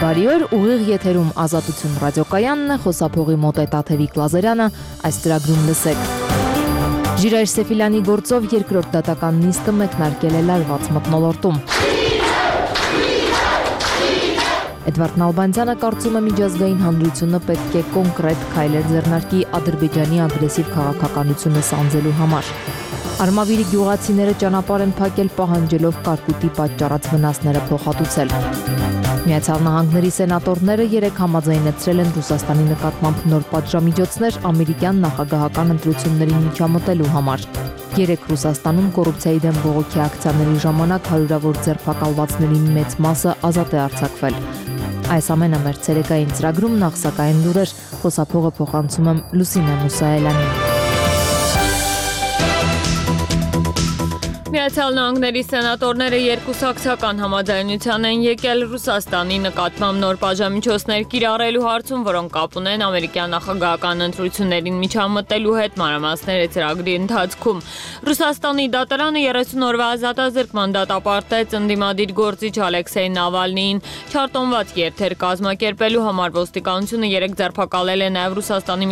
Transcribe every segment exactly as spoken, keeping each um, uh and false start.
Բարի օր, ուղիղ եթերում Ազատություն ռադիոկայանն է, խոսափողի մոտ է Տաթևիկ Լազարյանը, այս ծրագրում լսեք։ Ժիրայր Սեֆիլյանի գործով երկրորդ դատական նիստը մեկնարկել է լարված մթնոլորտում։ Էդվարդ Նալբանդյանը կարծում է միջազգային հանրությունը պետք է կոնկրետ քայլեր ձեռնարկի Ադրբեջանի ագրեսիվ քաղաքականությունը սանձելու համար։ Արմավիրի գյուղացիները ճանապարհ են փակել պահանջելով կարկուտի պատճառած վնասները փոխհատուցել։ Միացյալ Նահանգների սենատորները երեկ համաձայնեցրել են Ռուսաստանի նկատմամբ նոր պատժամիջոցներ ամերիկյան նախագահական ընտրություններին միջամտելու համար։ Երեկ Ռուսաստանում կոռուպցիայի դեմ բողոքի ակցիաների ժամանակ հարյուրավոր ձերբակալվածների մեծ մասը ազատ է արձակվել։ Այս ամենը մեր ցերեկային ծրագրում նախ սակայն լուրեր, խոսափողը փոխանցում եմ Լուսինե Մուսայելյանին։ Միացյալ Նահանգների սենատորները երկուսակցական համաձայնության են եկել Ռուսաստանի նկատմամբ նոր պատժամիջոցներ կիրառելու հարցում, որոնք կապ ունեն ամերիկյան նախագահական ընտրություններին միջամտելու հետ մանրամասները ծրագրի ընթացքում։ Ռուսաստանի դատարանը երեսուն օրվա ազատազրկման դատապարտեց ընդդիմադիր գործիչ Ալեքսեյ Նավալնիին չարտոնված երթեր կազմակերպելու համար։ Ոստիկանությունը երեք ձերբակալել է նաև Ռուսաստանի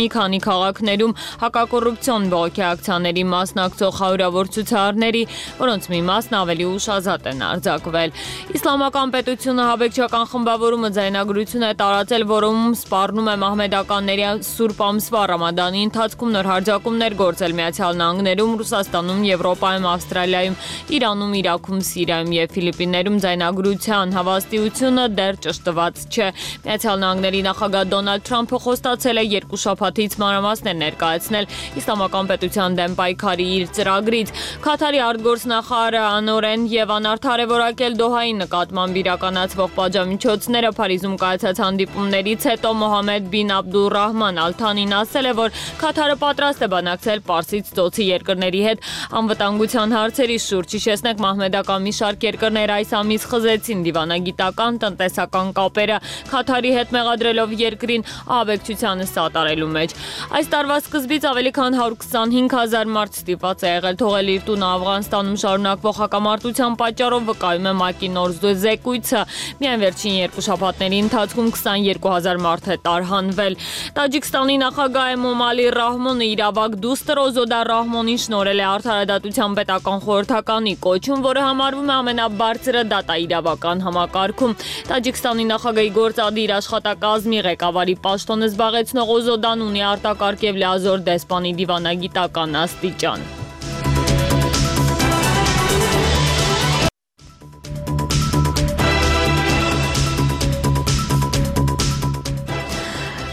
մի քանի քաղաքներում հակակոռուպցիոն բողոքի ակցիաների մասնակցող հարյուրավոր ցուցարարների, որոնց մի մասն ավելի ուշ ազատ են արձակվել։ Իսլամական պետությունը հավեկչական խմբավորումը ձայնագրություն է տարածել, որում սպառնում է մահմեդականների Սուրբ ամսվա Ռամադանի ընթացքում նոր հարձակումներ գործել Միացյալ Նահանգներում, Ռուսաստանում, Եվրոպայում, Ավստրալիայում, Իրանում, Իրաքում, Սիրիայում եւ Ֆիլիպիններում ձայնագրության հավաստիությունը դեռ ճշտված չէ։ Միացյալ Նահանգների նախագահ Դոնալդ Թրամփը խոստացել է երկու շաբաթից մանրամասներ ներկայացնել Իսլամական պետության դեմ պայքարի իր ծրագրից։ Քաթարի արտգործնախարարը անօրեն եւ անարդար է որակել Դոհայի նկատմամբ իրականացվող պատժամիջոցները։ Փարիզում կայացած հանդիպումներից հետո Մոհամմեդ բին Աբդուռահման Ալ-Թանին ասել է, որ Քաթարը պատրաստ է բանակցել Պարսից ծոցի երկրների հետ անվտանգության հարցերի շուրջ։ Հիշեցնենք, մահմեդական մի շարք երկրներ այս ամիս խզեցին դիվանագիտական, տնտեսական կապերը Քաթարի հետ մեղադրելով երկրին ահաբեկչությանը սատարելու մեջ։ Այս տարվա սկզբից ավելի քան հարյուր քսանհինգ հազար մարդ ստիպված է եղել թողել իր տունը Աֆղանստանում շարունակվող հակամարտության պատճառով, վկայում է ՄԱԿ-ի նոր զեկույցը։ Միայն վերջին երկու շաբաթների ընթացքում քսաներկու հազար մարդ է տարհանվել։ Տաջիկստանի նախագահ Էմոմալի Ռահմոնը իր ավագ դուստր Օզոդա Ռահմոնին շնորհել է արդարադատության պետական խորհրդականի կոչում, որը համարվում է ամենաբարձրը դատաիրավական համակարգում։ Տաջիկստանի նախագահի գործադիր աշխատակազմի ղեկավարի պաշտոնը զբաղեցնող Օզոդան ունի արտակարգ եւ լիազոր դեսպանի դիվանագիտական աստիճան։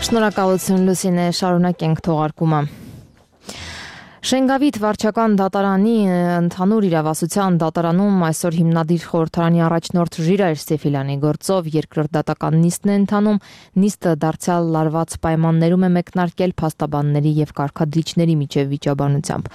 Շնորհակալություն Լուսինե, շարունակենք թողարկումը։ Շենգավիթ վարչական դատարանի ընդհանուր իրավասության դատարանում այսօր հիմնադիր խորհրդարանի առաջնորդ Ժիրայր Սեֆիլյանի գործով երկրորդ դատական նիստն է ընթանում։ Նիստը դարձյալ լարված պայմաններում է մեկնարկել փաստաբանների եւ կարգադրիչների միջև վիճաբանությամբ։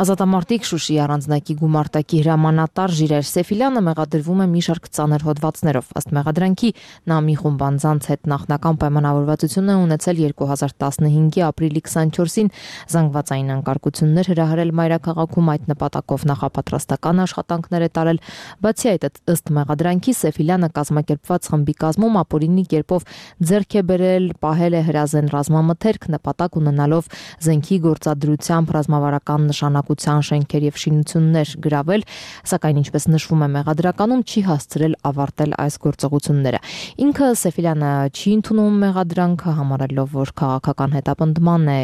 Ազատամարտիկ Շուշիի առանձնակի գումարտակի հրամանատար Ժիրայր Սեֆիլյանը մեղադրվում է մի շարք ծանր հոդվածներով։ Ըստ մեղադրանքի նա մի խումբ անձանց հետ նախնական պայմանավորվածություն է ունեցել երկու հազար տասնհինգի ապրիլի քսանչորսին զանգվածային անկարգություններ հրահրել մայրաքաղաքում, այդ նպատակով նախապատրաստական աշխատանքներ է տարել։ Բացի այդ, ըստ մեղադրանքի Սեֆիլյանը կազմակերպված խմբի կազմում ապօրինի կերպով ձեռք է բերել, պահել է հրազեն ռազմամթերք, նպատակ ունենալով զենքի գործադրությամբ ռազմավարական նշանակության շենքեր եւ շինություններ գրավել, սակայն ինչպես նշվում է մեղադրականում, չի հասցրել ավարտել այս գործողությունները։ Ինքը Սեֆիլյանը չի ընդունում մեղադրանքը, համարելով, որ քաղաքական հետապնդման է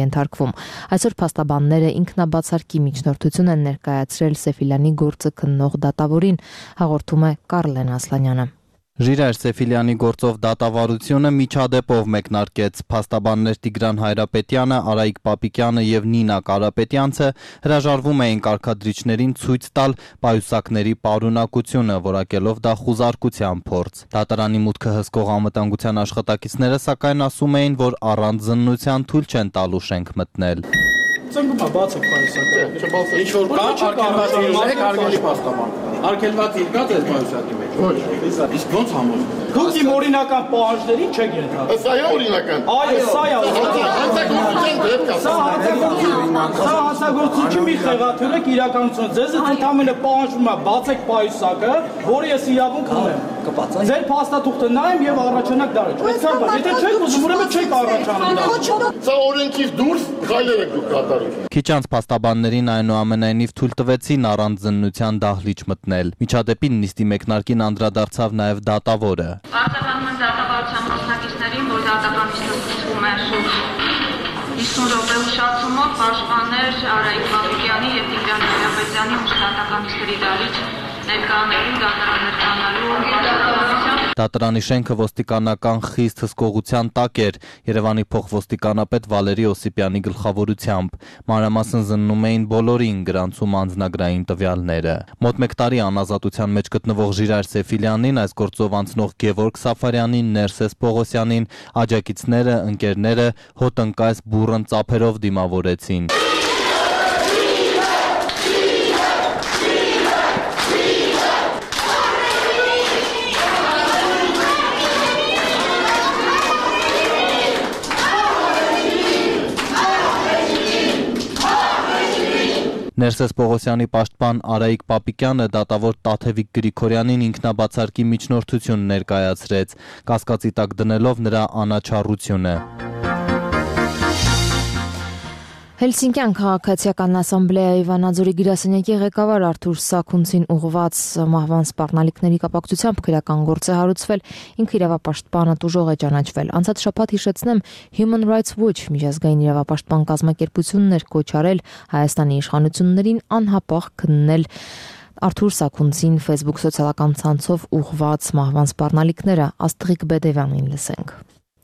ենթարկվում։ Այսօր փաստաբանները ինքնաբացարկի միջնորդություն են ներկայացրել Սեֆիլյանի գործը քննող դատավորին, հաղորդում է Կարլեն Ասլանյանը։ Ժիրայր Սեֆիլյանի գործով դատավարությունը միջադեպով մեկնարկեց։ Փաստաբաններ Տիգրան Հայրապետյանը, Արայիկ Պապիկյանը եւ Նինա Կարապետյանցը հրաժարվում էին կարգադրիչներին ցույց տալ պայուսակների պարունակությունը, որակելով դա խուզարկության փորձ։ Դատարանի մուտքը հսկող անվտանգության աշխատակիցները սակայն ասում էին, որ առանց զննության թույլ չեն տալու շենք մտնել։ Ծնգումա բաց եք պայուսակը, ինչ որ կա, արգելված եղեք, արգելի փաստաբան։ Արգելված եղած է պայուսակի մեջ։ Ոչ, իսկ ո՞նց համոզվում։ Դուք իմ օրինական պահանջներին չեք ենթարկվում։ Սա է օրինական։ Այո, սա է հանցագործության դեպք է։ Սա հանցագործություն մի խեղաթյուրեք իրականություն։ Ձեզ ընդհանրապես պահանջվում է բացեք պայուսակը, որը ես իրավունք ունեմ։ Ձեր փաստաթուղթը նայեմ եւ առաջանակ դարը։ Եթե չեք ուզում, ուրեմն չեք առաջանում դա։ Սա օրենքից դուրս քայլեր եք դուք կատարում։ Քիչ անց փաստաբաններին այնուամենայնիվ թույլ տվեցին առանց զննության դահլիճ մտնել։ Միջադեպին նիստի մեկնարկին անդրադարձավ նաև դատավորը։ Արտաբանում են դատավարության մասնակիցներին, որ դատական նիստը սկսվում է շուրջ հիսուն րոպե ուշացումով պաշտպաններ Արայիկ Բաբիկյանի եւ Տիգրան Նարապետյանի մշտական նիստերի դահլիճ ներկայանալու, դատարաններկանալու պաշտպանությամբ։ Դատարանի շենքը ոստիկանական խիստ հսկողության տակ էր Երևանի փոխոստիկանապետ Վալերի Օսիպյանի գլխավորությամբ։ Մանրամասն զննում էին բոլորին, գրանցում անձնագրային տվյալները։ Մոտ մեկ տարի անազատության մեջ գտնվող Ժիրայր Սեֆիլյանին, այս գործով անցնող Գևորգ Սաֆարյանին, Ներսես Պողոսյանին, աջակիցները, ընկերները հոտնկայս բուռն ծափերով դիմավորեցին։ Ներսես Պողոսյանի պաշտպան Արայիկ Պապիկյանը դատավոր Տաթևիկ Գրիգորյանին ինքնաբացարկի միջնորդություն ներկայացրեց, կասկածի տակ դնելով նրա անաչառությունը։ Հելսինկյան քաղաքացիական ասամբլեայի Վանաձորի գրասենյակի ղեկավար Արթուր Սաքունցին ուղղված մահվան սպառնալիքների կապակցությամբ քրեական գործ է հարուցվել, ինքը իրավապաշտպանը տուժող է ճանաչվել։ Անցած շաբաթ հիշեցնեմ Human Rights Watch միջազգային իրավապաշտպան կազմակերպությունն էր կոչ արել Հայաստանի իշխանություններին անհապաղ քննել Արթուր Սաքունցին Facebook սոցիալական ցանցով ուղղված մահվան սպառնալիքները։ Աստղիկ Բեդևյանին լսենք։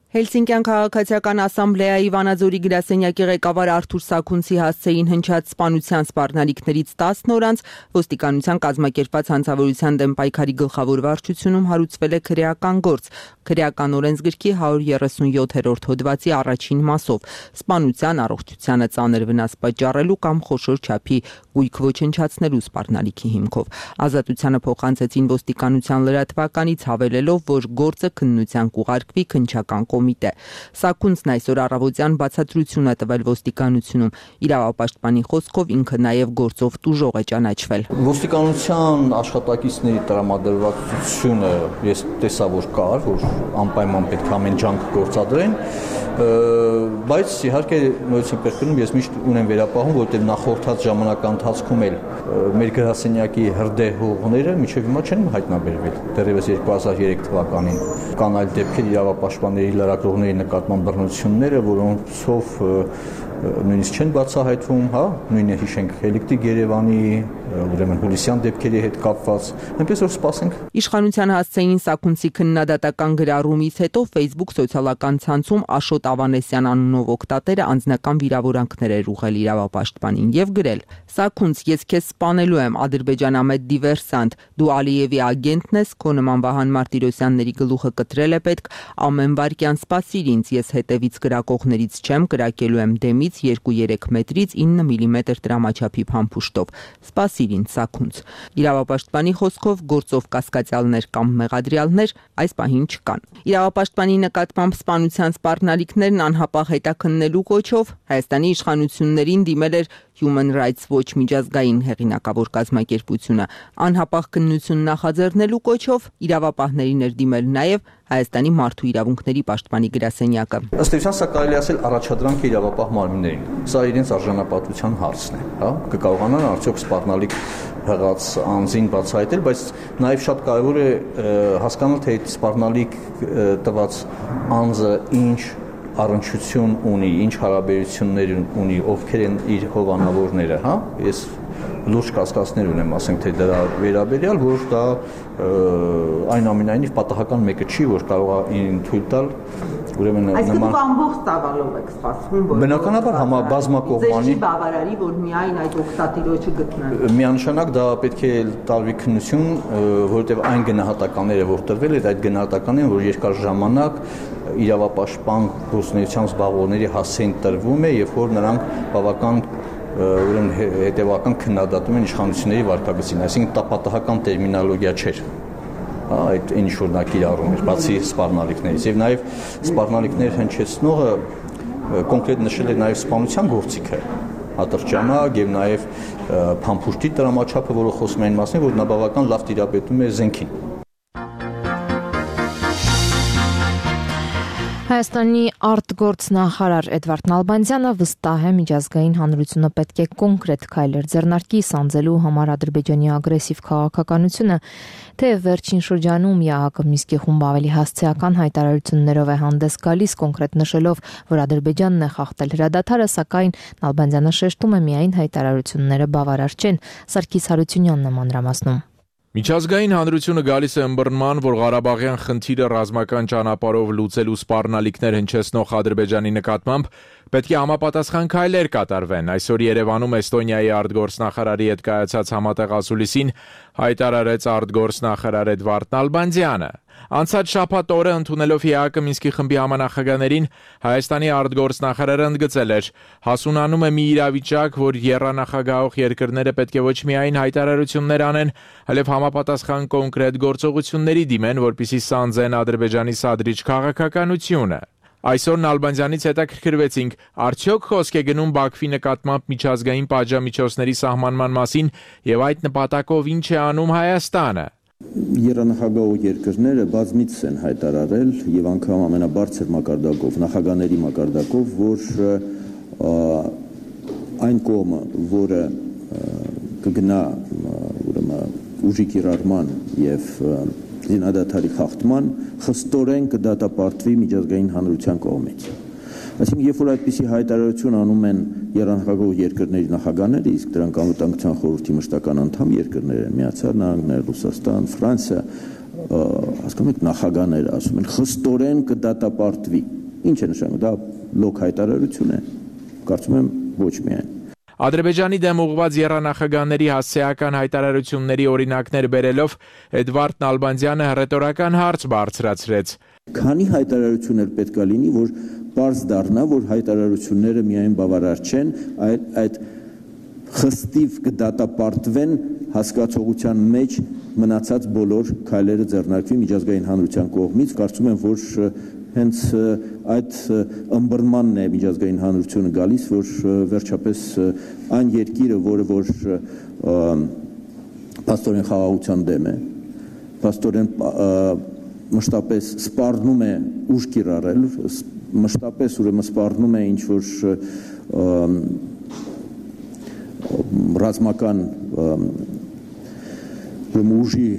Հելսինկյան քաղաքացիական ասամբլեայի Վանաձորի գրասենյակի ղեկավար Արթուր Սաքունցի հասցեին հնչած սպանության սպառնալիքներից տասն օր անց ոստիկանության կազմակերպված հանցավորության դեմ պայքարի գլխավոր վարչությունում հարուցվել է քրեական գործ, քրեական օրենսգրքի հարյուր երեսունյոթերորդ հոդվածի առաջին մասով սպանության առողջությանը ծանր վնաս պատճառելու կամ խոշոր չափի գույք ոչնչացնելու սպառնալիքի հիմքով։ Ազատությանը փոխանցեցին ոստիկանության լրատվականից հավելելով, որ գործը քննության կուղարկվի քննչական կոմիտե։ Սաքունցն այսօր առավոտյան բացատրություն է տվել ոստիկանությունում։ Իրավապաշտպանի խոսքով ինքը նաև գործով տուժող է ճանաչվել։ Ոստիկանության աշխատակիցների տրամադրվածությունը ես տեսա, որ կար, որ անպայման պետք է ամեն ջանք գործադրեն, բայց իհարկե նույնիսկ պերկնում ես միշտ ունեմ վերապահում, որտեղ նախորդած ժամանական ընթացքում էլ մեր գրասենյակի հրդեհ հողները մինչև հիմա չեն հայտնաբերվել, դեռևս երկու հազար երեք թվականին կան այլ դեպքեր իրավապաշտպանների լրագրողների նկատմամբ բռնությունները, որոնցով նույնիսկ չեն բացահայտվում, հա, նույնը հիշենք Էլիկտրիկ Երևանի, ուրեմն հուլիսյան դեպքերի հետ կապված, այնպես որ սպասենք։ Իշխանության հասցեին Սաքունցի քննադատական գրառումից հետո Facebook սոցիալական ցանցում Աշոտ Ավանեսյան անունով օգտատերը անձնական վիրավորանքներ էր ուղղել իրավապաշտպանին եւ գրել. Սաքունց, ես քեզ սպանելու եմ, ադրբեջանամետ դիվերսանտ, դու Ալիևի ագենտն ես, քո նման Վահան Մարտիրոսյանների գլուխը կտրել է պետք, ամեն վարքյան սպասիր ինձ, ես հետևից կրակողներից չեմ, կրակելու եմ դեմից երկու-երեք մետրից ինը միլիմետր տրամաչափի փամփուշտով։ Սպասիր ինձ, Սաքունց։ Իրավապաշտպանի խոսքով գործով կասկածյալներ կամ մեղադրյալներ այս պահին չկան։ Իրավապաշտպանի նկատմամբ սպանության սպառնալիքներն անհապաղ հետաքննելու կոչով Հայաստանի իշխանություններին դիմել էր Human Rights Watch միջազգային հեղինակավոր կազմակերպությունը։ Անհապաղ քննություն նախաձեռնելու կոչով իրավապահներին էր դիմել նաև Հայաստանի մարդու իրավունքների պաշտպանի գրասենյակը։ Ըստ էության սա կարելի ասել առաջադրանք է իրավապահ մարմիններին։ Սա իրենց արժանապատվության հարցն է, հա, կկարողանան արդյոք սպառնալիք հղած անձին բացահայտել, բայց նաև շատ կարևոր է հասկանալ, թե այդ սպառնալիք տված անձը ինչ առնչություն ունի, ինչ հարաբերություններ ունի, ովքեր են իր հովանավորները, հա, ես լուրջ կասկածներ ունեմ, ասենք թե դրա վերաբերյալ, որ դա այնուամենայնիվ պատահական մեկը չի, որ կարող է ինձ թույլ տալ, ուրեմն Այսինքն դուք ամբողջ ծավալով եք սպասվում, որ բնականաբար համաբազմակողմանի ձեր բավարարի, որ միայն այդ օգտատիրոջը գտնեն։ Միանշանակ դա պետք է տարվի քննություն, որովհետև այն գնահատականները, որ տրվել են, այդ գնահատականները, որ երկար ժամանակ իրավապաշտպան գործունեությամբ զբաղվողների հասցեին տրվում է, եւ որ նրանք բավական ուրեմն հետևական քննադատում են իշխանությունների վարքագծին, այսինքն տապատահական տերմինոլոգիա չէր։ այդ ինչ որ նա կիրառում էր, բացի սպառնալիքներից, եւ նաեւ սպառնալիքներ հնչեցնողը կոնկրետ նշել է նաեւ սպանության գործիքը, ատրճանակ եւ նաեւ փամփուշտի տրամաչափը, որը խոսում են մասին, որ նա բավական լավ տիրապետում է զենքին։ Հայաստանի արտգործնախարար Էդվարդ Նալբանդյանը վստահ է միջազգային հանրությունը պետք է կոնկրետ քայլեր ձեռնարկի սանձելու համար Ադրբեջանի ագրեսիվ քաղաքականությունը, թեև վերջին շրջանում ԵԱՀԿ Մինսկի խումբը ավելի հասցեական հայտարարություններով է հանդես գալիս, կոնկրետ նշելով, որ Ադրբեջանն է խախտել հրադադարը, սակայն Նալբանդյանը շեշտում է միայն հայտարարությունները բավարար չեն։ Սարգիս Հարությունյանն է մանրամասնում։ Միջազգային հանրությունը գալիս է ըմբռնման, որ Ղարաբաղյան խնդիրը ռազմական ճանապարհով լուծելու սպառնալիքներ հնչեցնող Ադրբեջանի նկատմամբ պետք է համապատասխան քայլեր կատարվեն։ Այսօր Երևանում Էստոնիայի արտգործնախարարի հետ կայացած համատեղ ասուլիսին հայտարարեց արտգործնախարար Էդվարդ Նալբանդյանը։ Անցած շաբաթ օրը ընդունելով ԵԱՀԿ Մինսկի խմբի համանախագահներին Հայաստանի արտգործնախարարը ընդգծել էր. հասունանում է մի իրավիճակ, որ եռանախագահող երկրները պետք է ոչ միայն հայտարարություններ անեն, այլև համապատասխան կոնկրետ գործողությունների դիմեն, որպեսզի սանձեն Ադրբեջանի սադրիչ քաղաքականությունը։ Այսօր Նալբանդյանից հետաքրքրվեցինք, արդյոք խոսք է գնում Բաքվի նկատմամբ միջազգային պատժամիջոցների սահմանման մասին եւ այդ նպատակով ինչ է անում Հայաստանը։ Երանախագահող երկրները բազմիցս են հայտարարել եւ անգամ ամենաբարձր մակարդակով, նախագահների մակարդակով, որ այն կողմը, որը կգնա ուրեմն ուժի կիրառման եւ զինադադարի խախտման, խստորեն կդատապարտվի միջազգային հանրության կողմից։ Այսինքն, երբ որ այդպիսի հայտարարություն անում են եռանախագահող երկրների նախագահները, իսկ դրանք անվտանգության խորհրդի մշտական անդամ երկրներ են, Միացյալ Նահանգներ, Ռուսաստան, Ֆրանսիա, հասկանում եք, նախագահները ասում են խստորեն կդատապարտվի։ Ինչ է նշանակում, դա լոկ հայտարարություն է։ Կարծում եմ ոչ միայն։ Ադրբեջանի դեմ ուղղված եռանախագահների հասցեական հայտարարությունների օրինակներ բերելով Էդվարդ Նալբանդյանը հռետորական հարց բարձրացրեց։ Քանի հայտարարություններ պետք է լինի, որ պարզ դառնա, որ հայտարարությունները միայն բավարար չեն, այլ այդ խստիվ կդատապարտվեն հասկացողության մեջ մնացած բոլոր քայլերը ձեռնարկվի միջազգային հանրության կողմից։ Կարծում եմ, որ հենց այդ ըմբռնմանն է միջազգային հանրությունը գալիս, որ վերջապես այն երկիրը, որը որ փաստորեն խաղաղության դեմ է, փաստորեն մշտապես սպառնում է ուժ կիրառել, մշտապես ուրեմն սպառնում է ինչ որ ռազմական ուժի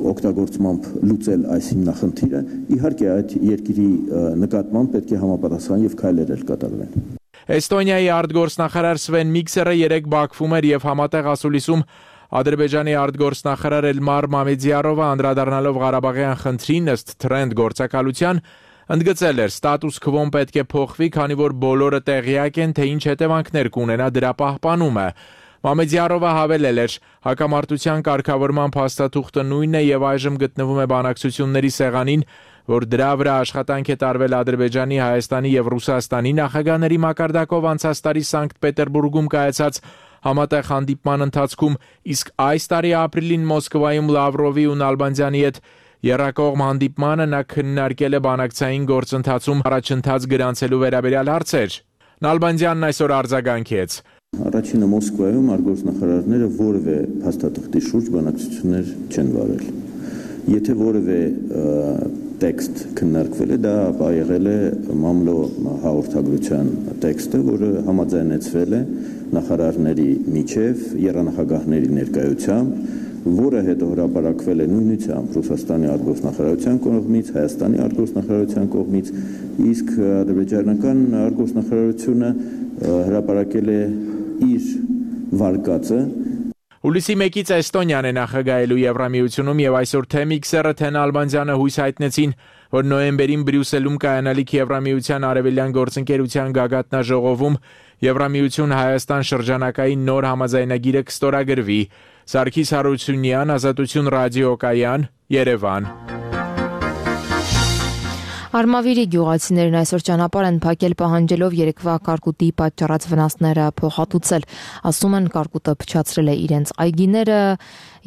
օգտագործմամբ լուծել այս հիմնախնդիրը, իհարկե այդ երկրի նկատմամբ պետք է համապատասխան եւ քայլեր կատարվեն։ Էստոնիայի արտգործնախարար Սվեն Միքսերը երեկ Բաքվում էր եւ համատեղ ասուլիսում Ադրբեջանի արտգործնախարար Էլմար Մամեդյարովը անդրադառնալով Ղարաբաղյան խնդրին ըստ թրենդ գործակալության ընդգծել էր ստատուս քվոն պետք է փոխվի, քանի որ բոլորը տեղյակ են, թե ինչ հետևանքներ կունենա դրա պահպանումը։ Մամեդյարովը հավելել էր. հակամարտության կարգավորման փաստաթուղթը նույնն է եւ այժմ գտնվում է բանակցությունների սեղանին, որ դրա վրա աշխատանք է տարվել Ադրբեջանի, Հայաստանի եւ Ռուսաստանի նախագահների մակարդակով անցած տարի Սանկտ Պետերբուրգում կայացած համատեղ հանդիպման ընթացքում, իսկ այս տարի ապրիլին Մոսկվայում Լավրովի ու Նալբանդյանի հետ եռակողմ հանդիպմանը նա քննարկել է բանակցային գործընթացում առաջընթաց գրանցելու վերաբերյալ հարցեր։ Նալբանդյանն այսօր արձագանքեց. Առաջինը Մոսկվայում արտգործնախարարները որևէ փաստաթղթի շուրջ բանակցություններ չեն վարել։ Եթե որևէ տեքստ քննարկվել է, դա եղել է մամլո հաղորդագրության տեքստը, որը համաձայնեցվել է նախարարների միջև եռանախագահների ներկայությամբ, որը հետո հրապարակվել է նույնությամբ Ռուսաստանի արտգործնախարարության կողմից, Հայաստանի արտգործնախարարության կողմից, իսկ ադրբեջանական արտգործնախարարությունը հրապարակել է իր վարկածը։ Հուլիսի մեկից Էստոնիան է նախագահելու Եվրամիությունում եւ այսօր թե Միքսերը, թե Նալբանդյանը հույս հայտնեցին, որ նոյեմբերին Բրյուսելում կայանալիք Եվրամիության արևելյան գործընկերության գագաթնաժողովում Եվրամիություն Հայաստան շրջանակային նոր համաձայնագիրը կստորագրվի։ Սարգիս Հարությունյան, Ազատություն ռադիոկայան, Երևան։ Արմավիրի գյուղացիներն այսօր ճանապարհ են փակել պահանջելով երեկվա կարկուտի պատճառած վնասները փոխհատուցել։ Ասում են կարկուտը փչացրել է իրենց այգիները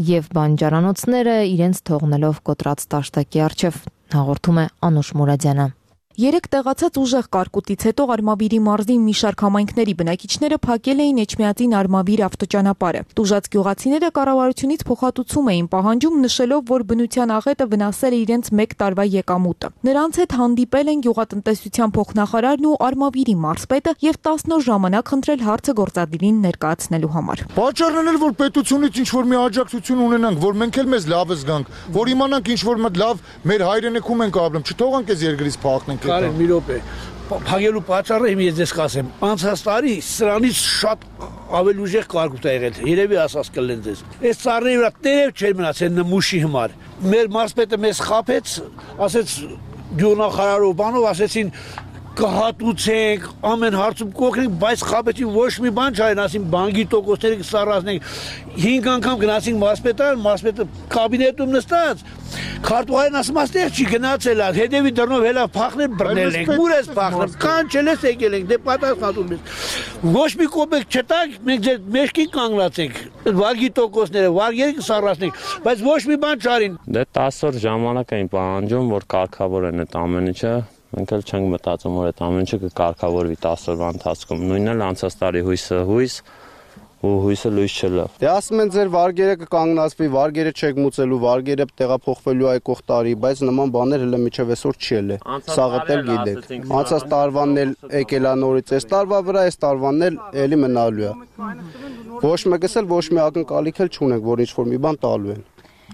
եւ բանջարանոցները, իրենց թողնելով կոտրած տաշտակի առջև, հաղորդում է Անուշ Մուրադյանը։ Երեք տեղացած ուժեղ կարկուտից հետո Արմավիրի մարզի մի շարք համայնքների բնակիչները փակել էին Էջմիածին Արմավիր ավտոճանապարհը։ Տուժած գյուղացիները կառավարությունից փոխհատուցում էին պահանջում, նշելով, որ բնության աղետը վնասել է իրենց մեկ տարվա եկամուտը։ Նրանց հետ հանդիպել են գյուղատնտեսության փոխնախարարն ու Արմավիրի մարզպետը եւ տասն օր ժամանակ խնդրել հարցը գործադիրին ներկայացնելու համար։ Պատճառն էր, որ պետությունից ինչ որ մի աջակցություն ունենանք, որ մենք էլ մեզ լավը զգանք, որ իմանանք ինչ որ մի լավ մեր հայրենիքում ենք ապրում, չթողանք այս երկրից փախնենք։ Կարեն մի րոպե, փակելու պատճառը իմ ես ձեզ կասեմ, անցած տարի սրանից շատ ավելի ուժեղ կարկուտ է եղել, երևի ասած կլեն ձեզ։ Այս ծառերի վրա տերև չէր մնացել նմուշի համար։ Մեր մարզպետը մեզ խաբեց, ասեց գյուղնախարարով բանով, ասեցին կհատուցենք, ամեն հարցում կօգնենք, բայց խաբեցին ոչ մի բան չային, ասին բանկի տոկոսները կսառացնենք։ Հինգ անգամ գնացինք մարզպետարան, մարզպետը կաբինետում նստած, քարտուղարին ասում աստեղ չի գնացել, հետևի դռնով հելա փախնել բռնել ենք, ուր ես փախնել, կանչել ես եկել ենք, դե պատասխանում ես։ Ոչ մի կոպեկ չտանք, մենք ձեր մեջքին կանգնացենք, վարգի տոկոսները, վարգերը կսառացնենք, բայց ոչ մի բան չարին։ Դե տասը օր ժամանակ էին պահանջում, որ կարգավորեն այդ ամեն ինչը։ Մենք էլ չենք մտածում, որ այդ ամեն ինչը կկարգավորվի տասը օրվա ընթացքում։ Նույնն էլ անցած տարի հույսը հույս ու հույսը լույս չլավ։ Դե ասում են ձեր վարգերը կկանգնացվի, վարգերը չեք մուծելու, վարգերը տեղափոխվելու այգող տարի, բայց նման բաներ հələ միջև այսօր չի ելել։ Սաղը էլ գիտեք։ Անցած տարվանն էլ եկել է նորից, այս տարվա վրա այս տարվանն էլ էլի մնալու է։ Ոչ մեկս էլ ոչ մի ակնկալիք էլ չունենք, որ ինչ որ մի բան տալու են։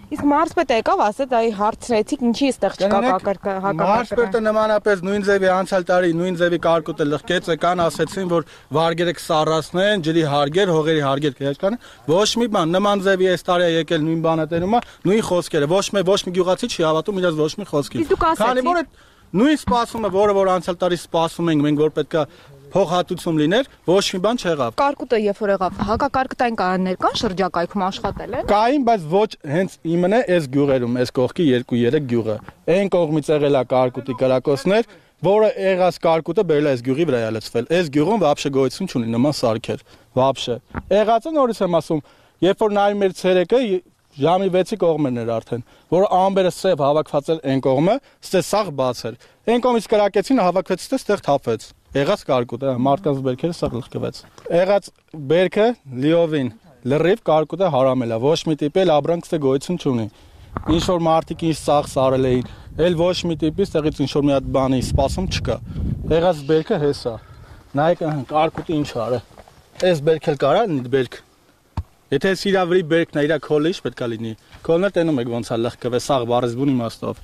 Իսկ մարզպետը եկավ, ասեց, այ հարցրեցիք, ինչի էստեղ չկա հակակարգ։ Մարզպետը նմանապես նույն ձևի անցյալ տարի նույն ձևի կարկուտը լղկեց, եկան ասեցին, որ վարգերը կսառացնեն, ջրի հարգեր, հողերի հարգեր կհեչքան։ Ոչ մի բան, նման ձևի այս տարի է եկել նույն բանը տերում է, նույն խոսքերը։ Ոչ մի ոչ մի գյուղացի չի հավատում իրաց ոչ մի խոսքի։ Քանի որ նույն սպասումը, որը որ անցյալ տարի սպասում ենք մենք, որ պետքա փոխհատուցում լիներ, ոչ մի բան չեղավ։ Կարկուտը երբ որ եղավ, հակակարկտային կանոններ կան շրջակայքում աշխատել են։ Կային, բայց ոչ հենց իմն է այս գյուղերում, այս կողքի երկու երեք գյուղը։ Այն կողմից եղել է կարկուտի կրակոցներ, որը եղած կարկուտը բերել է այս գյուղի վրա լցվել։ Այս գյուղում վաբշե գոյություն չունի նման սարքեր, վաբշե։ Եղածը նորից եմ ասում, երբ որ նայում էր ցերեկը ժամի վեցի կողմերն էր արդեն, որ ամբերը սև հավաքված էր այն կողմը, ստե սաղ բաց էր։ Այն կողմից կրակեցին, հավաքվեց ստե ստեղ թափվեց։ Եղած կարկուտը, մարդկանց բերքերը սաղ լղկվեց։ Եղած բերքը լիովին լրիվ կարկուտը հարամել է, ոչ մի տիպի էլ ապրանք ստե գոյություն չունի։ Ինչ որ մարդիկ ինչ սաղ սարել էին, էլ ոչ մի տիպի ստեղից ինչ որ մի հատ բանի սպասում չկա։ Եղած բերքը հեսա։ Նայեք կարկուտը ինչ արը։ Այս բերք էլ կարա բերք։ Եթե սիրավրի բերքն է իրա քոլը ինչ պետք է լինի։ Քոլն էլ տենում եք ոնց է լղկվել սաղ բառեզբուն իմաստով։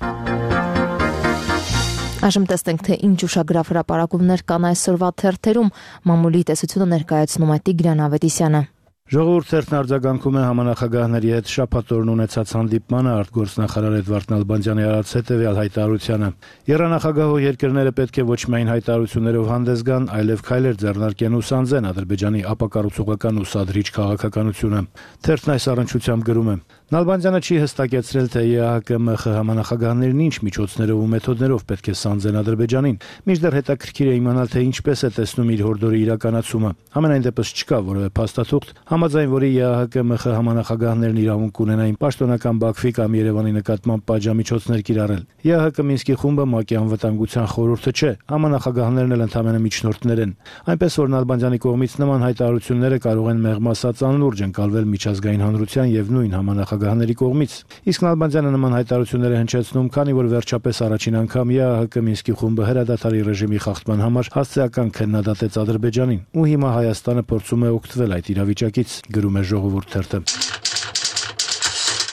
Այժմ տեսնենք, թե ինչ ուշագրավ հրապարակումներ կան այսօրվա թերթերում։ Մամուլի տեսությունը ներկայացնում է Տիգրան Ավետիսյանը։ Ժողովուրդ թերթն արձագանքում է համանախագահների հետ շաբաթ օրն ունեցած հանդիպմանը արտգործնախարար Էդվարդ Նալբանդյանի արած հետևյալ հայտարարությանը։ Երանախագահող երկրները պետք է ոչ միայն հայտարարություններով հանդես գան, այլև քայլեր ձեռնարկեն ու սանձեն Ադրբեջանի ապակառուցողական ու սադրիչ քաղաքականությունը։ Թերթն այս առնչությամբ գրում է. Նալբանդյանը չի հստակեցրել, թե ԵԱՀԿ-ՄԽ համանախագահներն ինչ միջոցներով ու մեթոդներով պետք է սանձեն Ադրբեջանին, մինչդեռ հետաքրքիր է իմանալ, թե ինչպես է տեսնում իր հորդորի իրականացումը։ Համենայն դեպս չկա որևէ փաստաթուղթ, համաձայն որի ԵԱՀԿ-ՄԽ համանախագահներն իրավունք ունենային պաշտոնական Բաքվի կամ Երևանի նկատմամբ պատժամիջոցներ կիրառել։ ԵԱՀԿ Մինսկի խումբը ՄԱԿ-ի անվտանգության խորհուրդը չէ, համանախագահներն էլ ընդամենը միջնորդներ են։ Այնպես որ Նալբանդյանի կողմից նման հայտարարությունները կարող են մեղմ ասած անլուրջ ընկալվել միջազգային հանրության եւ նույն համանախագահների կողմից։ Իսկ Նալբանդյանը նման հայտարարությունները հնչեցնում, քանի որ վերջապես առաջին անգամ ԵԱՀԿ Մինսկի խումբը հրադադարի ռեժիմի խախտման համար հասցեական քննադատեց Ադրբեջանին, ու հիմա Հայաստանը փորձում է օգտվել այդ իրավիճակից, գրում է Ժողովուրդ թերթը։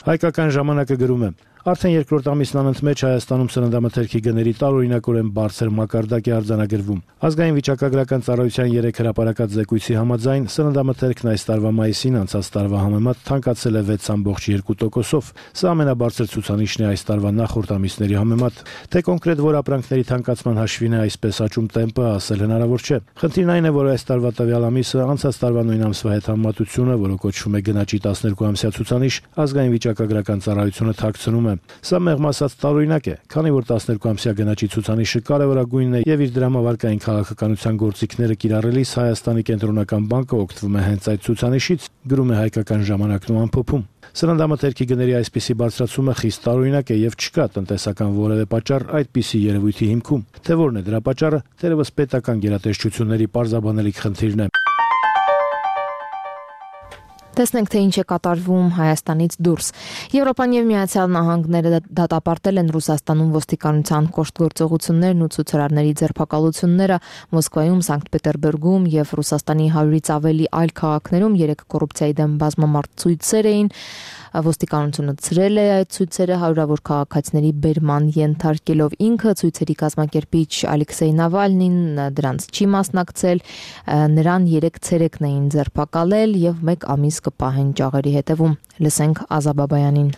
Հայկական ժամանակը գրում է. Արդեն երկրորդ ամիսն անընդմեջ Հայաստանում սննդամթերքի գների տարօրինակորեն բարձր մակարդակ է արձանագրվում։ Ազգային վիճակագրական ծառայության երեք հրապարակած զեկույցի համաձայն սննդամթերքն այս տարվա մայիսին անցած տարվա համեմատ թանկացել է վեց կόμ երկու տոկոսով։ Սա ամենաբարձր ցուցանիշն է այս տարվա նախորդ ամիսների համեմատ։ Թե կոնկրետ որ ապրանքների թանկացման հաշվին է այսպես աճում տեմպը, ասել հնարավոր չէ։ Խնդիրն այն է, որ այս տարվա տվյալ ամիսը անցած տարվա նույն ամսվա հետ համեմատությունը, որը կոչվում է գնաճի տասներկու ամսյա ցուցանիշ, ազգային վիճակագրական ծառայությունը թաքցնում է է։ Սա մեղմ ասած տարօրինակ է, քանի որ տասներկու ամսյա գնաճի ցուցանիշը կարևորագույնն է եւ իր դրամավարկային քաղաքականության գործիքները կիրառելիս Հայաստանի կենտրոնական բանկը օգտվում է հենց այդ ցուցանիշից, գրում է Հայկական ժամանակն ու ամփոփում։ Սննդամթերքի գների այսպիսի բարձրացումը խիստ տարօրինակ է եւ չկա տնտեսական որևէ պատճառ այդպիսի երևույթի հիմքում։ Թե որն է դրա պատճառը, թերևս պետական գերատեսչությունների պարզաբանելիք խնդիրն է։ Տեսնենք, թե ինչ է կատարվում Հայաստանից դուրս։ Եվրոպան եւ Միացյալ Նահանգները դատապարտել են Ռուսաստանում ոստիկանության կոշտ գործողություններն ու ցուցարարների ձերբակալությունները Մոսկվայում, Սանկտ Պետերբուրգում եւ Ռուսաստանի հարյուրից ավելի այլ քաղաքներում երեք կոռուպցիայի դեմ բազմամարդ ցույցեր էին։ Ոստիկանությունը ցրել է այդ ցույցերը հարյուրավոր քաղաքացիների բերման ենթարկելով ինքը ցույցերի կազմակերպիչ Ալեքսեյ Նավալնին դրանց չի մասնակցել, նրան երեք ցերեկն էին ձերբակալել եւ մեկ ամիս կպահեն ճաղերի հետևում։ Լսենք Ազա Բաբայանին։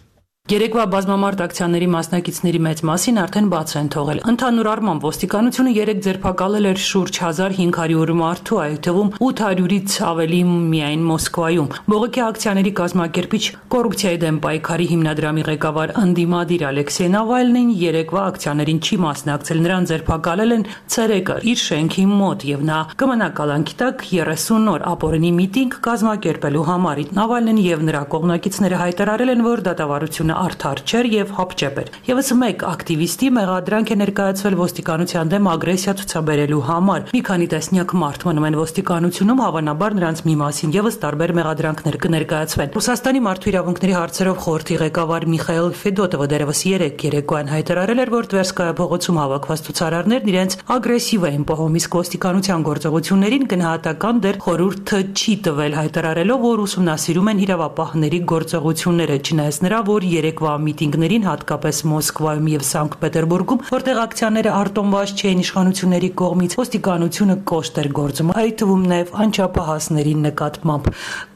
Երեկվա բազմամարդ ակցիաների մասնակիցների մեծ մասին արդեն բաց են թողել։ Ընդհանուր առմամբ ոստիկանությունը երեք ձերբակալել էր շուրջ հազար հինգ հարյուր մարդու, այդ թվում ութ հարյուրից ավելի միայն Մոսկվայում։ Բողոքի ակցիաների կազմակերպիչ կոռուպցիայի դեմ պայքարի հիմնադրամի ղեկավար ընդդիմադիր Ալեքսեյ Նավալնին երեկվա ակցիաներին չի մասնակցել, նրան ձերբակալել են ցերեկը իր շենքի մոտ եւ նա կմնա կալանքի տակ երեսուն օր ապօրինի միտինգ կազմակերպելու համար։ Նավալնին եւ նրա կողմնակիցները հայտարարել են, որ դատավարությունը արդար չէր եւ հապճեպ էր։ Եվս մեկ ակտիվիստի մեղադրանք է ներկայացվել ոստիկանության դեմ ագրեսիա ցուցաբերելու համար։ Մի քանի տասնյակ մարդ մնում են ոստիկանությունում, հավանաբար նրանց մի մասին եւս տարբեր մեղադրանքներ կներկայացվեն։ Ռուսաստանի մարդու իրավունքների հարցերով խորհրդի ղեկավար Միխայել Ֆեդոտովը դերևս երեք երեկոյան հայտարարել էր, որ Տվերսկայա փողոցում հավաքված ցուցարարներն իրենց ագրեսիվ էին պահում, իսկ ոստիկանության գործողություններին գնահատական դեր խորհուրդը չի տվել, հայտարարելով, որ ուսումնասիրում են իրավապահների գործողությունները, չնայած նրա, որ երեկվա միտինգներին, հատկապես Մոսկվայում եւ Սանկտ Պետերբուրգում, որտեղ ակցիաները արտոնված չէին իշխանությունների կողմից, ոստիկանությունը կոշտ էր գործում, այդ թվում նաեւ անչափահասների նկատմամբ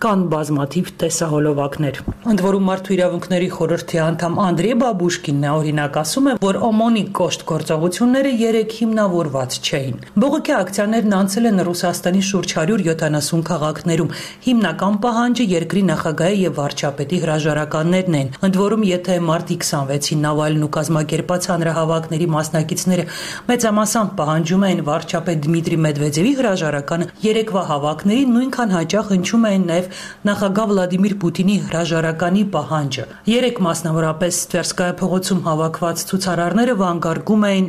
կան բազմաթիվ տեսահոլովակներ։ Ընդ որում մարդու իրավունքների խորհրդի անդամ Անդրեյ Բաբուշկինն օրինակ ասում է, որ օմոնի կոշտ գործողությունները երեք հիմնավորված չէին։ Բողոքի ակցիաներն անցել են Ռուսաստանի շուրջ հարյուր յոթանասուն քաղաքներում։ Հիմնական պահանջը երկրի նախագահի եւ վարչապետի հրաժարականներն են։ Ընդ որում, եթե մարտի քսանվեցին Նավալն ու կազմակերպած հանրահավաքների մասնակիցները մեծամասամբ պահանջում էին վարչապետ Դմիտրի Մեդվեդևի հրաժարականը, երեկվա հավաքներին նույնքան հաճախ հնչում էին նաև նախագահ Վլադիմիր Պուտինի հրաժարականի պահանջը։ Երեք մասնավորապես Տվերսկայա փողոցում հավաքված ցուցարարները վանկարկում էին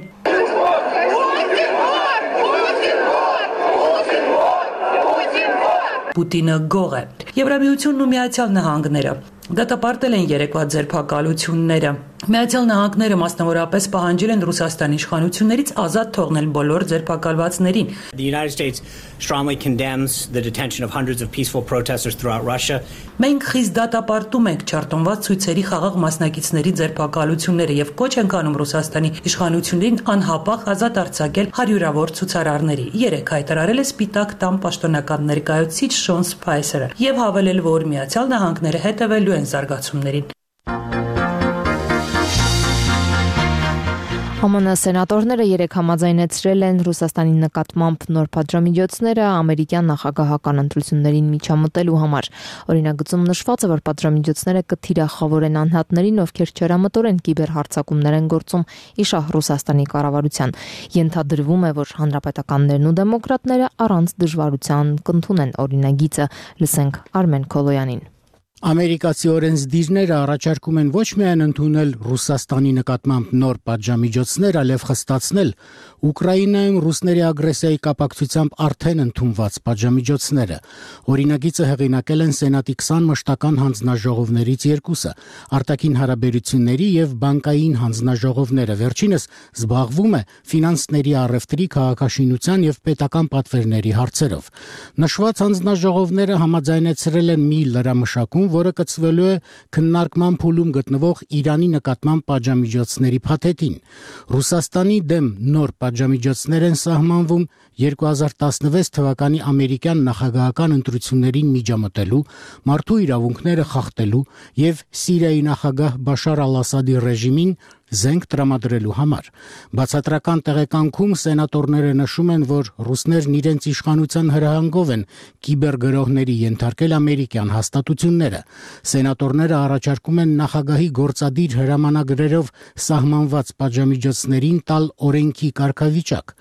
Պուտինը գող է։ Եվրամիությունն ու Միացյալ Նահանգները դատապարտել են երեկվա ձերբակալությունները։ Միացյալ Նահանգները մասնավորապես պահանջել են Ռուսաստանի իշխանություններից ազատ թողնել բոլոր ձերբակալվածներին։ The United States strongly condemns the detention of hundreds of peaceful protesters throughout Russia. Մենք խիստ դատապարտում ենք չարտոնված ցույցերի խաղաղ մասնակիցների ձերբակալությունները եւ կոչ ենք անում Ռուսաստանի իշխանություններին անհապաղ ազատ արձակել հարյուրավոր ցուցարարների։ Երեք հայտարարել է Սպիտակ տան պաշտոնական ներկայացուցիչ Շոն Սփայսերը եւ հավելել, որ Միացյալ Նահանգները հետևելու են զարգացումներին։ Հ Մ Ն սենատորները երեք համաձայնեցրել են Ռուսաստանի նկատմամբ նոր պատժամիջոցները ամերիկյան նախագահական ընտրություններին միջամտելու համար։ Օրինագծում նշված է, որ պատժամիջոցները կթիրախավորեն անհատներին, ովքեր չարամտորեն կիբերհարձակումներ են գործում իշահ Ռուսաստանի կառավարության։ Ենթադրվում է, որ հանրապետականներն ու դեմոկրատները առանց դժվարության կընդունեն օրինագիծը։ Լսենք Արմեն Քոլոյանին։ Ամերիկացի օրենսդիրները առաջարկում են ոչ միայն ընդունել Ռուսաստանի նկատմամբ նոր պատժամիջոցներ, այլև խստացնել Ուկրաինայում ռուսների ագրեսիայի կապակցությամբ արդեն ընդունված պատժամիջոցները։ Օրինագիծը հեղինակել են Սենատի քսան մշտական հանձնաժողովներից երկուսը՝ արտաքին հարաբերությունների եւ բանկային հանձնաժողովները։ Վերջինս զբաղվում է ֆինանսների առևտրի, քաղաքաշինության եւ պետական պատվերների հարցերով։ Նշված հանձնաժողովները համաձայնեցրել են մի լրամշակում, որը կցվելու է քննարկման փուլում գտնվող Իրանի նկատմամբ պատժամիջոցների փաթեթին։ Ռուսաստանի դեմ նոր պատժամիջոցներ են սահմանվում երկու հազար տասնվեց թվականի ամերիկյան նախագահական ընտրություններին միջամտելու, մարդու իրավունքները խախտելու եւ Սիրիայի նախագահ Բաշար ալ-Ասադի ռեժիմին զենք տրամադրելու համար։ Բացատրական տեղեկանքում սենատորները նշում են, որ ռուսներն իրենց իշխանության հրահանգով են կիբերգրոհների ենթարկել ամերիկյան հաստատությունները։ Սենատորները առաջարկում են նախագահի գործադիր հրամանագրերով սահմանված պատժամիջոցներին տալ օրենքի կարգավիճակ։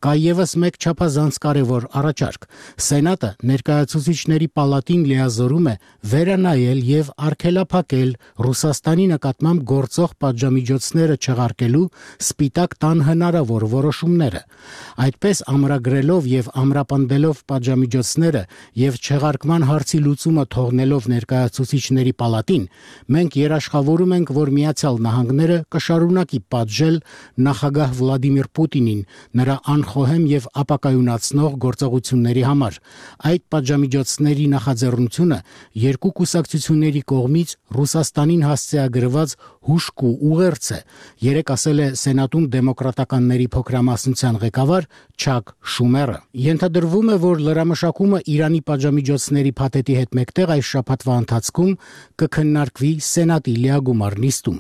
Կա ևս մեկ չափազանց կարևոր առաջարկ։ Սենատը ներկայացուցիչների պալատին լիազորում է վերանայել եւ արգելափակել Ռուսաստանի նկատմամբ գործող պատժամիջոցները չեղարկելու սպիտակ տան հնարավոր որոշումները։ Այդպես ամրագրելով եւ ամրապնդելով պատժամիջոցները եւ չեղարկման հարցի լուծումը թողնելով ներկայացուցիչների պալատին, մենք երաշխավորում ենք, որ Միացյալ Նահանգները կշարունակի պատժել նախագահ Վլադիմիր Պուտինին նրա անխոհեմ եւ ապակայունացնող գործողությունների համար։ Այդ պատժամիջոցների նախաձեռնությունը երկու կուսակցությունների կողմից Ռուսաստանին հասցեագրված հուշկ ու ուղերձ է, երեք ասել է Սենատում դեմոկրատականների փոքրամասնության ղեկավար Չակ Շումերը։ Ենթադրվում է, որ լրամշակումը Իրանի պատժամիջոցների փաթեթի հետ մեկտեղ այս շաբաթվա ընթացքում կքննարկվի Սենատի լիագումար նիստում։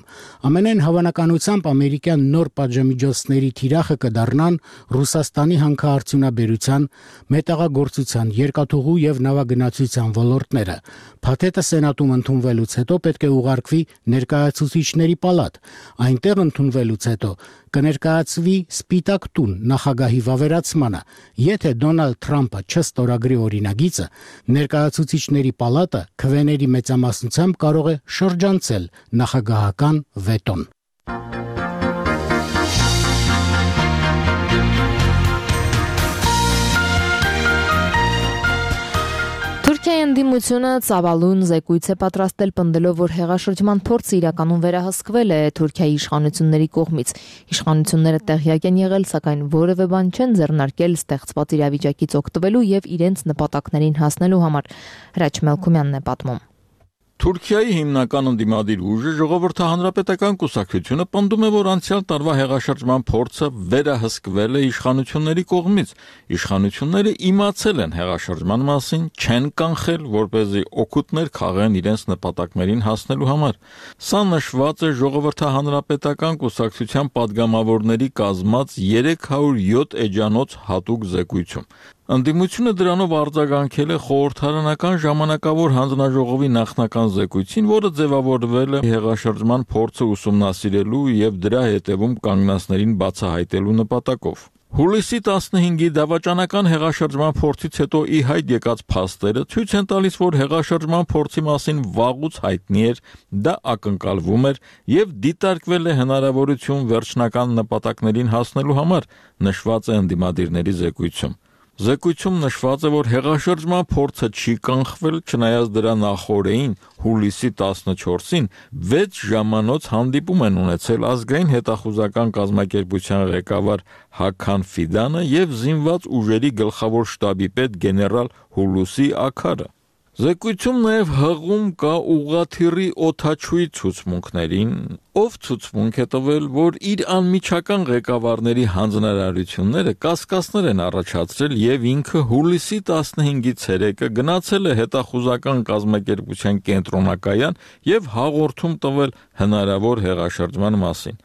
Ամենայն հավանականությամբ ամերիկյան նոր պատժամիջոցների թիրախը կդառնան Ռուսաստանի հանքարդյունաբերության, մետաղագործության, երկաթուղու եւ նավագնացության ոլորտները։ Փաթեթը Սենատում ընդունվելուց հետո պետք է ուղարկվի ներկայացուցիչների պալատ։ Այնտեղ ընդունվելուց հետո կներկայացվի Սպիտակ տուն նախագահի վավերացմանը։ Եթե Դոնալդ Թրամփը չստորագրի օրինագիծը, ներկայացուցիչների պալատը քվեների մեծամասնությամբ կարող է շրջանցել նախագահական վետոն։ Թուրքիայի ընդդիմությունը ծավալուն զեկույց է պատրաստել պնդելով, որ հեղաշրջման փորձը իրականում վերահսկվել է Թուրքիայի իշխանությունների կողմից։ Իշխանությունները տեղյակ են եղել, սակայն որևէ բան չեն ձեռնարկել ստեղծված իրավիճակից օգտվելու եւ իրենց նպատակներին հասնելու համար։ Հրաչ Մելքումյանն է պատմում։ Թուրքիայի հիմնական ընդդիմադիր ուժը ժողովրդահանրապետական կուսակցությունը պնդում է, որ անցյալ տարվա հեղաշրջման փորձը վերահսկվել է իշխանությունների կողմից։ Իշխանությունները իմացել են հեղաշրջման մասին, չեն կանխել, որպեսզի օգուտներ քաղեն իրենց նպատակներին հասնելու համար։ Սա նշված է ժողովրդահանրապետական կուսակցության падգամավորների կազմած երեք հարյուր յոթ էջանոց հատուկ զեկույցում։ Ընդդիմությունը դրանով արձագանքել է խորհրդարանական ժամանակավոր հանձնաժողովի նախնական զեկույցին, որը ձևավորվել է հեղաշրջման փորձը ուսումնասիրելու եւ դրա հետևում կանգնածներին բացահայտելու նպատակով։ Հուլիսի տասնհինգի դավաճանական հեղաշրջման փորձից հետո ի հայտ եկած փաստերը ցույց են տալիս, որ հեղաշրջման փորձի մասին վաղուց հայտնի էր, դա ակնկալվում էր եւ դիտարկվել է հնարավորություն վերջնական նպատակներին հասնելու համար, նշված է ընդդիմադիրների զեկույցում։ Զեկույցում նշված է, որ հեղաշրջման փորձը չի կանխվել, չնայած դրա նախօրեին հուլիսի տասնչորսին վեց ժամանոց հանդիպում են ունեցել ազգային հետախուզական կազմակերպության ղեկավար Հաքան Ֆիդանը եւ զինված ուժերի գլխավոր շտաբի պետ գեներալ Հուլուսի Աքարը։ Զեկույցում նաև հղում կա ուղղաթիռի օդաչուի ցուցմունքներին, ով ցուցմունք է տվել, որ իր անմիջական ղեկավարների հանձնարարությունները կասկածներ են առաջացրել եւ ինքը հուլիսի տասնհինգի ցերեկը գնացել է հետախուզական կազմակերպության կենտրոնակայան եւ հաղորդում տվել հնարավոր հեղաշրջման մասին։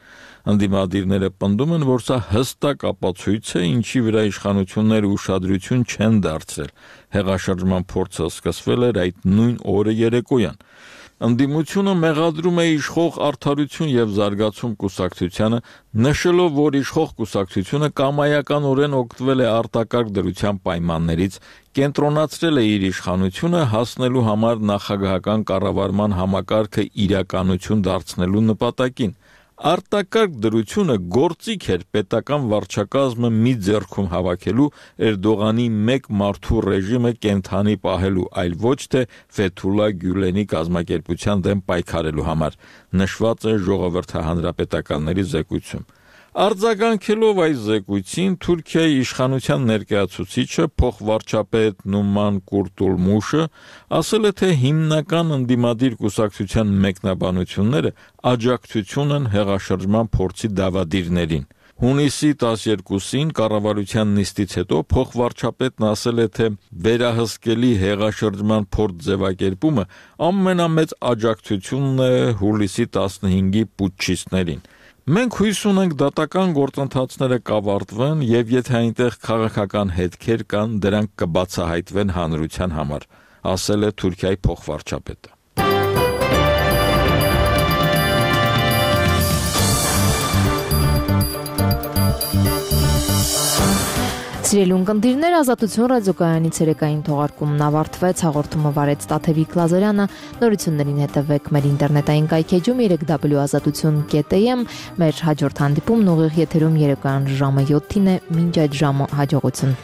Ընդդիմադիրները պնդում են, որ սա հստակ ապացույց է, ինչի վրա իշխանությունները ուշադրություն չեն դարձրել։ Հեղաշրջման փորձը սկսվել էր այդ նույն օրը երեկոյան։ Ընդդիմությունը մեղադրում է իշխող Արդարություն եւ զարգացում կուսակցությանը, նշելով, որ իշխող կուսակցությունը կամայականորեն օգտվել է արտակարգ դրության պայմաններից, կենտրոնացրել է իր իշխանությունը հասնելու համար նախագահական կառավարման համակարգը իրականություն դարձնելու նպատակին։ Արտակարգ դրությունը գործիք էր պետական վարչակազմը մի ձեռքում հավաքելու Էրդողանի մեկ մարդու ռեժիմը կենթանի պահելու, այլ ոչ թե Ֆեթուլա Գյուլենի կազմակերպության դեմ պայքարելու համար, նշված է ժողովրդահանրապետականների զեկույցում։ Արձագանքելով այս զեկույցին Թուրքիայի իշխանության ներկայացուցիչը փոխվարչապետ Նուման Կուրտուլմուշը ասել է, թե հիմնական ընդդիմադիր կուսակցության մեկնաբանությունները աջակցություն են հեղաշրջման փորձի դավադիրներին։ Հունիսի տասներկուսին կառավարության նիստից հետո փոխվարչապետն ասել է, թե վերահսկելի հեղաշրջման փորձ ձևակերպումը ամենամեծ աջակցությունն է հուլիսի տասնհինգի պուտչիստներին։ Մենք հույս ունենք դատական գործընթացները կավարտվեն եւ եթե այնտեղ քաղաքական հետքեր կան, դրանք կբացահայտվեն հանրության համար, ասել է Թուրքիայի փոխվարչապետը։ Սիրելի ունկնդիրներ, Ազատություն ռադիոկայանի ցերեկային թողարկումն ավարտվեց, հաղորդումը վարեց Տաթևիկ Լազարյանը, նորություններին հետևեք մեր ինտերնետային կայքեջում երեք դաբլյու ազատություն կետ էյ էմ, մեր հաջորդ հանդիպումն ուղիղ եթերում երեկոյան ժամը յոթին է, մինչ այդ ժամը հաջողություն։